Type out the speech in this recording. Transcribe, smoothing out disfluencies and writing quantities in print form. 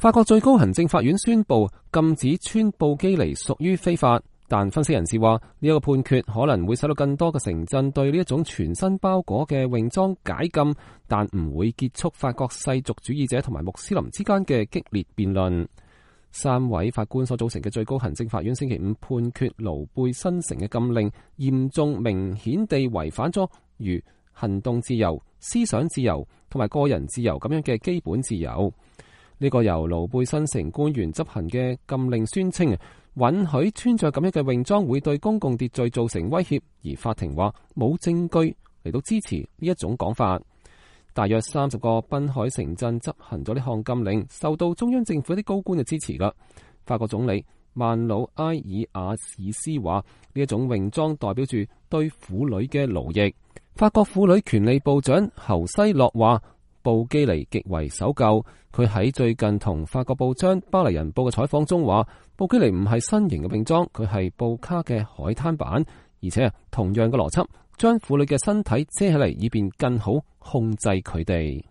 法國最高行政法院宣布禁止穿布基尼屬於非法，但分析人士話呢一個判決可能會使到更多嘅城鎮對呢一種全身包裹嘅泳裝解禁，但唔會結束法國世俗主義者同埋穆斯林之間嘅激烈辯論。3位法官所組成嘅最高行政法院星期五判決盧貝新城嘅禁令嚴重明顯地違反咗如行動自由、思想自由同埋個人自由咁樣嘅基本自由。呢個由盧貝新城官員執行嘅禁令宣稱，允許穿着咁樣嘅泳裝會對公共秩序造成威脅，而法庭話冇證據嚟到支持呢一種講法。大約30個濱海城鎮執行咗呢項禁令，受到中央政府一啲高官嘅支持噶。法國總理曼努埃爾阿爾斯話呢一種泳裝代表住對婦女嘅奴役。法國婦女權利部長侯西洛話布基尼極為守舊，佢喺最近同法國報章巴黎人報嘅採訪中話，布基尼唔係新型嘅泳裝，佢係布卡嘅海灘版，而且同樣嘅邏輯，將婦女嘅身體遮起嚟，以便更好控制佢哋。